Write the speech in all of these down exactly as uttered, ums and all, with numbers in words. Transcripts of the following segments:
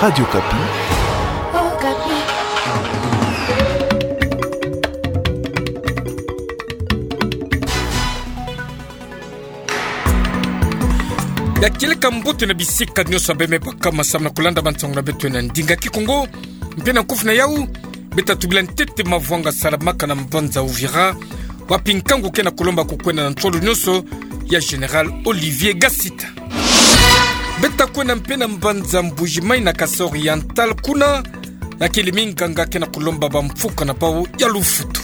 Radio Okapi. Ya kieleka mbote na bisika nyonso beme baka masambu na kulanda bansangu na beto na ndinga Kikongo. Mpe na nkufi na yau, beta tubila ntete mavwanga salamaka na mbanza Uvira, wapi nkangu ke na kulomba kukwenda na ntwalo nyonso ya Général Olivier Gasita. Beta kwenda mpe na mbanza Mbuji-Mayi na Kasai Oriental, kuna ya kiele minganga ke na kulomba bamfuka na bau ya lufutu.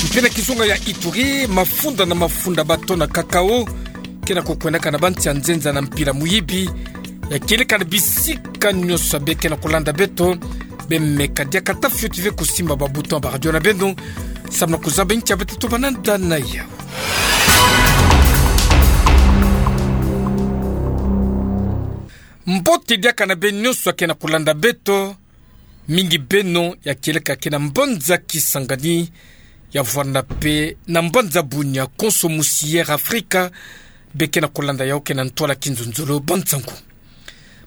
Mpe na kizunga ya Ituri, mafunda na mafunda ba tona cacao ke na kukwendaka na bansi ya nzenza na mpila muyibi. Ya kieleka na bisika nyonso be ke na kulanda beto, beme kadiaka ata fioti ve kusimba ba bouton ba radio na beno, samu na kuzaba nki ya beta tubana nda na yau. Mbote diaka na beno nyonso ya ke na kulanda beto, mingi beno ya kieleka ke na mbanza Kisangani, ya vwanda mpe na mbanza Bunia, konso musi Air Africa, be ke na kulanda yau ke na ntwala kinzonzolo bansangu.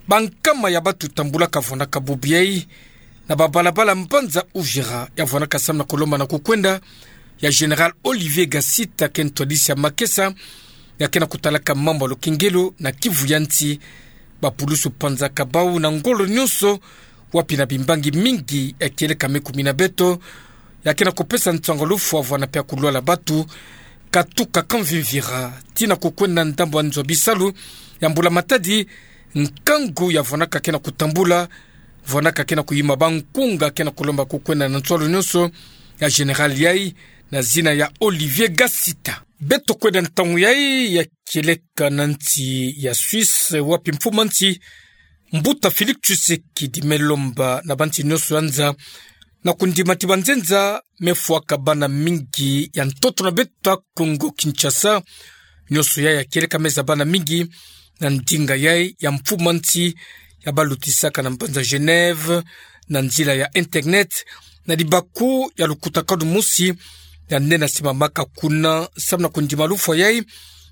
Bankama ya batu tambulaka vwandaka bubu yai na babalabala mbanza Uvira, ya vwandaka samu na kulomba na kukwenda ya Général Olivier Gasita, ke ntwadisi ya makesa ya ke na kutalaka mambu ya lukengelo na Kivu ya nsi. Bapulusu panzaka bau na ngolo nyonso, wapi na bimbangi mingi ya kieleka me kumi na beto, ya ke na kupesa nsangu ya lufwa vwanda mpe ya kulwala batu, katuka Kamvimvira tii na kukwenda ndambu ya nzo ya bisalu ya mbula matadi. Nkangu ya vwandaka ke na kutambula, vwandaka ke na kuyima bankunga ke na kulomba kukwenda na ntwalo nyonso ya Général yai na zina ya Olivier Gasita. Beto kwenda ntangu yai ya kieleka na nsi ya Suisse, wapi mfumu a nsi Mbuta Félix Tshisekedi me lomba na bansi nyonso ya nza na kundima ti banzenza me fwaka bana mingi ya ntoto na beto ya Congo Kinshasa, nyonso yai ya kieleka me zaba bana mingi na ndinga yai ya mfumu a nsi ya balutisaka na mbanza Genève na nzila ya internet, na dibaku ya lukutakanu mosi ya nde na simamaka kuna samu na kundima lufwa yai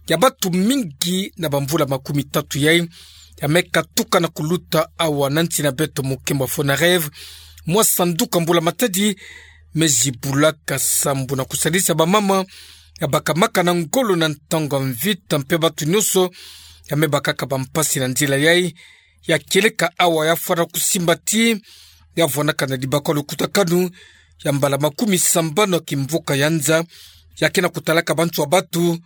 ya batu mingi na bamvula makumi tatu yai, ya me katuka na kuluta awa na nsi na beto. Mokembo ya Fonareve, mwa sanduka mbula matadi me zibulaka sambu na kusalisa bamama ya bakamaka na ngolo na ntangu ya mvita mpe batu nyonso ya me bakaka bampasi na nzila yai, ya kieleka awa ya fwana kusimba ti ya vwandaka na dibaku ya lukutakanu ya mbala makumi sambanu ya kimvuka ya nza, ya ke na kutalaka bantu ya batu,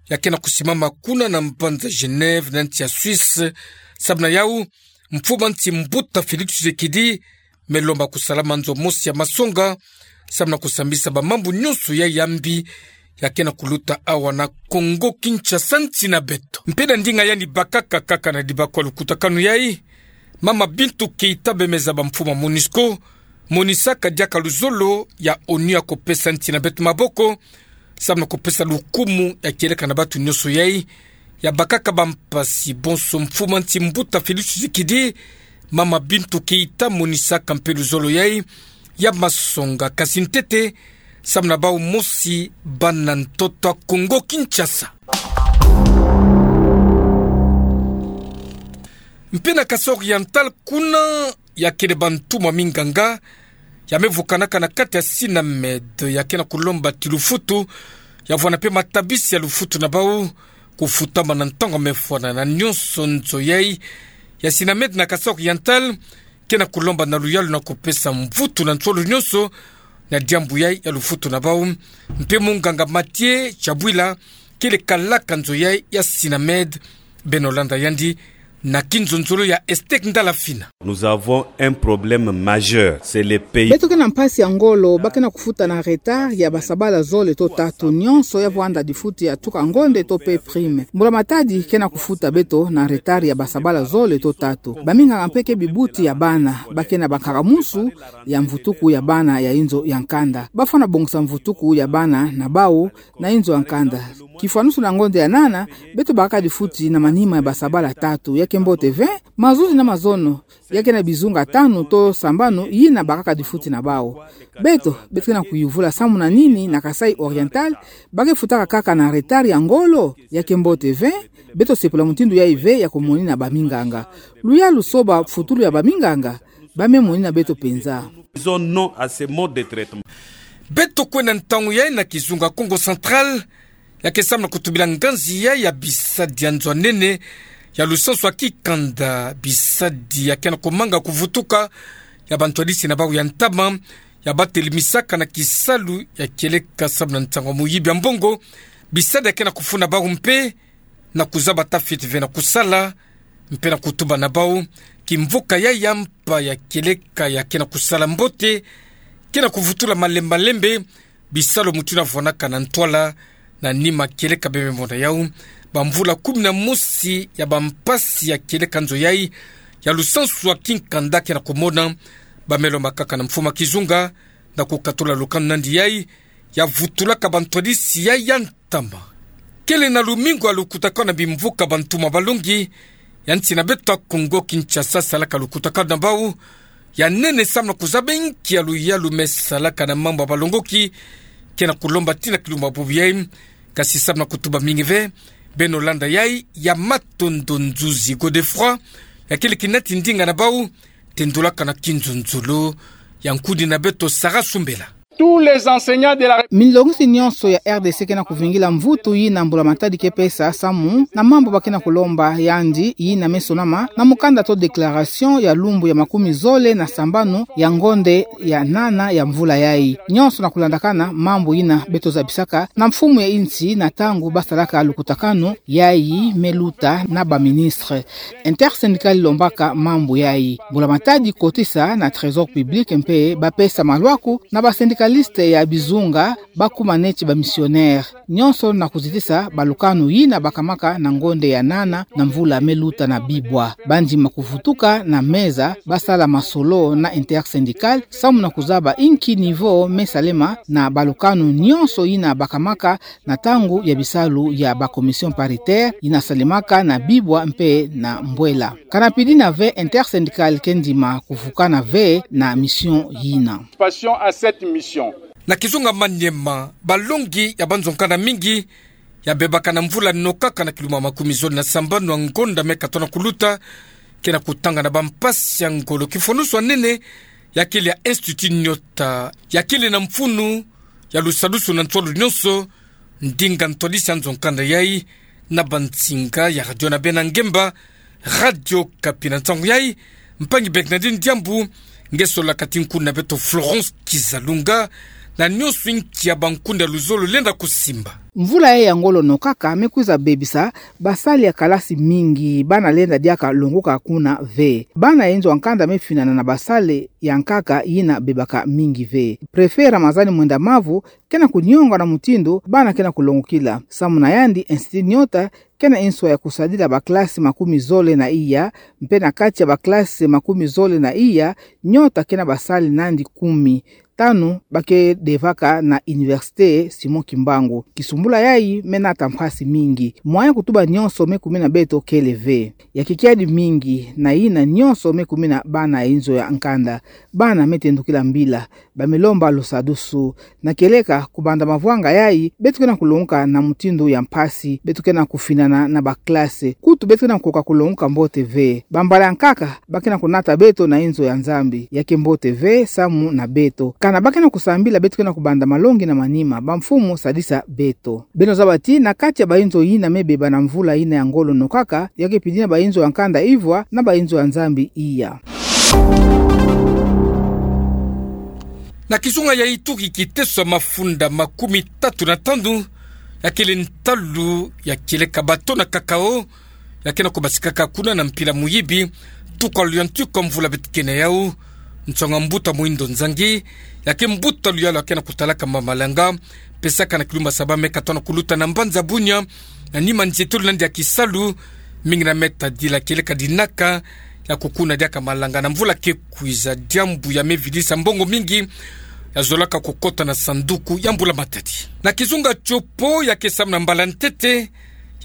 ya ke na kusimama kuna na mbanza Genève na nsi ya Suisse. Samu na yau, mfumu a nsi Mbuta Félix Tshisekedi me lomba kusalama nzo mosi ya masonga samu na kusambisa bamambu nyonso yai ya mbi ya ke na kuluta awa na Congo Kinshasa, nsi na beto. Mpe na ndinga yandi bakaka kaka na dibaku ya lukutakanu yai, mama Bintou Keita, beme zaba mfumu a MONUSCO, monisaka diaka luzolo ya ONU ya kupesa nsi na beto maboko samu na kupesa lukumu ya kieleka na batu nyonso yai ya bakaka bampasi. Bonso mfumu a nsi Mbuta Félix Tshisekedi, mama Bintou Keita monisaka mpe luzolo yai ya masonga, kasi ntete samu na bau mosi bana ntoto ya Congo Kinshasa. Mpe na Kasai Oriental kuna, ya kele bantumwa minganga ya me vukanaka na kati ya Synamed, ya ke na kulomba ti lufutu ya vwanda mpe matabisi ya lufutu na bau kufutama na ntangu me fwana na nyonso nzo yai ya Synamed na Kasai Oriental ke na kulomba na luyalu na kupesa mvutu na nsolo nyonso na diambu yai ya lufutu na bau. Mpe munganga Mathieu Tshabwila, kele kalaka nzo yai ya Synamed. Beno landa yandi na kinzonzolo ya Estek Ndalafina. Nous avons un problème majeur, c'est le pays. Beto ke na mpasi ya ngolo, ba ke na kufuta na retard ya basabala zole to tatu, nyonso ya vwanda difuti ya tuka ngonde to pe prime. Mbula matadi ke na kufuta beto na retard ya basabala zole to tatu. Baminganga mpe ke bibuti ya bana, ba ke na bankaka musu ya mvutuku ya bana ya inzo ya nkanda. Ba fwana bongisa mvutuku ya bana na bau na inzo ya nkanda. Kifwanusu na ngonde ya nana, beto bakaka difuti na manima ya basabala tatu. Ya Kiambote ve, mazuzi na mazono, ya ke na bizunga tanu to sambanu yina bakaka difuti na bau. Beto, beto ke na kuyuvula samu na nini na Kasaï Oriental, ba ke futaka kaka na retard ya ngolo? Ya kiambote ve, beto sepela mutindu yayi ve ya kumonina baminganga. Luyalu so bafutulu ya baminganga, ba me monina beto penza. Disons non à ce mode de traitement. Beto kwenda ntangu yayi na kizunga Kongo Central, ya ke samu na kutubila nganzi yayi ya bisadi ya nzo a nene, ya lusansu ya kikanda bisadi ya ke na kumanga kuvutuka, ya bantwadisi na bau ya ntama, ya batelemisaka na kisalu ya kieleka samu na ntangu ya muyibi ya mbongo, bisadi ya ke na kufuna bau mpe, na kuzaba tafiti ve na kusala, mpe na kutuba na bau, kimvuka yayi ya mpa ya kieleka ya ke na kusala mbote, ke na kuvutula malembe malembe, bisalu mutindu na vwanaka na ntwala, na nima kieleka bembe mona yau, bamvula kumi na mosi ya bampasi ya kieleka nzo yayi, ya lusansu ya kinkanda ke na kumona, ba me lomba kaka na mfumu a kizunga, na kukatula lukanu nandi yayi, ya vutulaka bantwadisi yayi ya ntama. Kele na lumingu ya lukutakanu na bimvuka bantumwa balongi, ya nsi na beto ya Kongo Kinshasa salaka lukutakanu na bau, ya nene samu na kuzaba inki ya luyalu me salaka na mambu ya balongoki, ke na kulomba tii na kilumbu ya bubu yayi, kasi samu na kutuba mingi ve, beno landa yayi, ya matondo Nzuzi Godefroid, ya kele kinati ndinga na bau, tendulaka na kinzonzolo, ya nkuni na beto Sarah Sumbela. Tous les enseignants de la République. Milongisi nyonso ya R D C ke na kuvingila mvutu yina mbula matadi ke pesa samu na mambu ba ke na kulomba yandi yina me sonama na mukanda to déclaration ya lumbu ya makumi zole na sambanu ya ngonde ya nana ya mvula yayi. Nyonso na kulandakana mambu yina beto zabisaka na mfumu ya insi na ntangu ba salaka lukutakanu yayi me luta na ba ministre. Intersyndicale lombaka mambu yayi. Mbula matadi kotisa na trésor public mpe ba pesa malwaku na ba syndicalistes ya bizunga ba kuma neti ba missionnaires. Nyonso na kuzitisa balukanu yina bakamaka na ngonde ya nana na mvula me luta na bibwa. Ba ndima kuvutuka na meza ba sala masolo na intersyndicale samu na kuzaba inki niveau me salema na balukanu nyonso yina bakamaka na ntangu ya bisalu ya ba commission paritaire yina salemaka na bibwa mpe na mbwela. Kana pidina ve intersyndicale ke ndima kuvukana ve na mission yina. Participation à cette mission. Na kizunga Maniema, balongi ya banzo nkanda mingi, ya bebaka na mvula nokaka na kilumbu ya makumi zole na sambanu ya ngonda me katono kuluta, ke na kutanga na bampasi ya ngolo. Kifonusu ya nene, ya kele ya Institut Nyota, ya kele na mfunu ya lusadusu na ntwalu nyonso, ndinga ntwadisi ya nzo nkanda yayi, na bansinga ya radio na bena ngemba, Radio Okapi. Na nsangu yayi, mpangi Bernardine Diambu, nge solaka ti nkuni na beto Florence Kizalunga, na nyonso inki ya bankuni ya luzolo lenda kusimba. Mvula yayi ya ngolo nokaka me kwiza bebisa basali ya kalasi mingi, bana lenda diaka longoka kuna ve. Bana ya inzo ya nkanda me finana na basali ya nkaka yina bebaka mingi ve. Préfet Ramazani Mwenda Mavu ke na kunionga na mutindu bana ke na kulongokila. Samu na yandi, Institut Nyota ke na inswa ya kusadila ba classe makumi zole na iya, mpe na kati ya ba classe makumi zole na iya, Nyota ke na basali nandi kumi. Tanu ba ke devaka na Université Simon Kimbangu. Kisumbula yayi me nata mpasi mingi. Moyen ya kutuba nyonso me kumina beto kele ve. Ya kikiadi mingi, na yina nyonso me kumina bana ya inzo ya nkanda. Bana me tendukila mbila, ba me lomba lusadusu. Na kieleka, kubanda mavwanga yayi, beto ke na kulongoka na mutindu ya mpasi, beto ke na kufinana na ba classe. Kutu beto ke na kukoka kulongoka mbote ve. Bambala ya nkaka, ba ke na kunata beto na inzo ya Nzambi, ya ke mbote ve samu na beto. Kana ba ke na kusambila, beto ke na kubanda malongi na manima, bamfumu sadisa beto. Beno zaba ti na kati ya ba inzo yina me beba na mvula yina ya ngolo nokaka, ya ke pidina ba inzo ya nkanda ivwa na ba inzo ya Nzambi iya. Na kizunga ya Ituri, kiteso ya mafunda makumi tatu na tanu, ya kele ntalu ya kieleka bateau na cacao, ya ke na kubasikaka kuna na mpila muyibi, tuka luyantika mvula beto ke na yau, nsonga mbuta Muhindo Nzangi, ya ke mbuta luyalu ya ke na kutalaka mamalanga, pesaka na kilumbu ya saba me katono kuluta na mbanza Bunia, na nima nzietolo nandi ya kisalu, mingi na me tadila kieleka dinaka, ya kukuna diaka malanga na mvula ke kwiza, diambu ya me vidisa mbongo mingi, ya zolaka kukota na sanduku ya mbula matadi. Na kizunga Tshopo, ya ke samu na mbala ntete,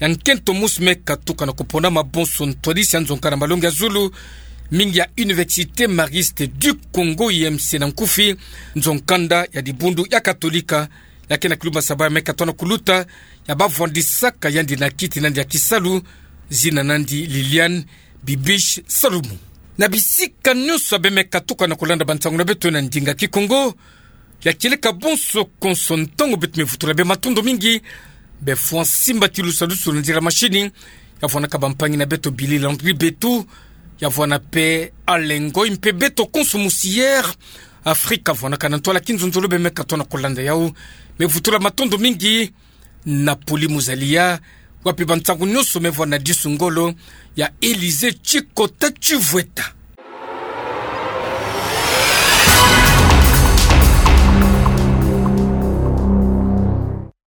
ya nkento mosi me katuka na kupona mabonso ntwadisi ya nzonka na malongi ya zulu mingi ya Université Mariste du Congo, I M C na nkufi, nzonka nda ya dibundu ya Katolika, ya ke na kilumba sabala me katoa na kuluta, ya bavwandisaka yandi na kiti nandi ya kisalu, zina nandi Liliane Bibiche Salumu. Na bisika nyonso ya bê me katuka na kulanda bansangu na beto na ndinga Kikongo, ya kieleka bonso konso ntangu beto me vutula bê matondo mingi, bê fwa nsimbati lusalusu na nzila mashini, ya vwanaka bampangi na beto Billy Landry Betu, ya vwana pe Alain Ngoy mpe beto konso musi Air Afrique, ya vwanaka na ntwala kinzonzolo bê me katoa na kulanda yau, me vutula matondo mingi, na Poli Muzalia, wapi bansangu nyonso me vwa na disu ngolo ya Élysée Tshikota Tshivweta.